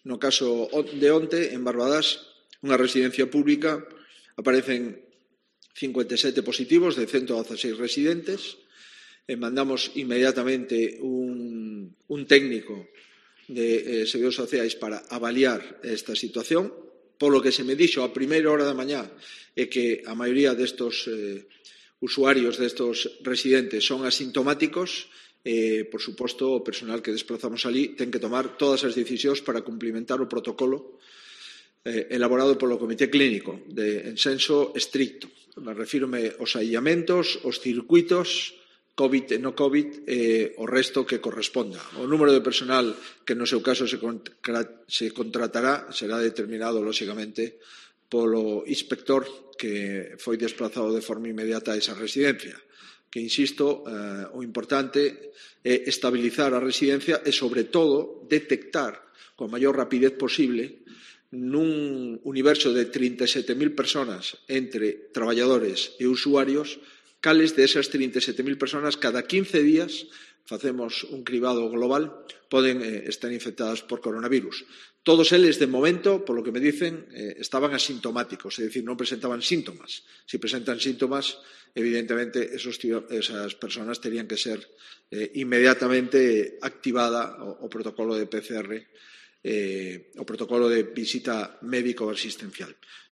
No caso de onte, en Barbadas, unha residencia pública, aparecen 57 positivos de 116 residentes. Mandamos inmediatamente un técnico de Servizos Sociais para avaliar esta situación. Polo que se me dixo a primeira hora da mañá é que a maioría destos usuarios, destos residentes, son asintomáticos. Por suposto, o personal que desplazamos ali ten que tomar todas as decisións para cumplimentar o protocolo elaborado polo Comité Clínico en senso estricto. Refírome aos aillamentos, aos circuitos, COVID e no COVID, o resto que corresponda. O número de personal que no seu caso se contratará será determinado, lóxicamente, polo inspector que foi desplazado de forma inmediata a esa residencia. Que, insisto, o importante é estabilizar a residencia e, sobre todo, detectar coa maior rapidez posible nun universo de 37.000 persoas entre traballadores e usuarios, cales desas 37.000 persoas cada 15 días facemos un cribado global, poden estar infectadas por coronavirus. Todos eles, de momento, polo que me dicen, estaban asintomáticos, é dicir, non presentaban síntomas. Se presentan síntomas, evidentemente, esas persoas terían que ser inmediatamente activada o protocolo de PCR, o protocolo de visita médico asistencial.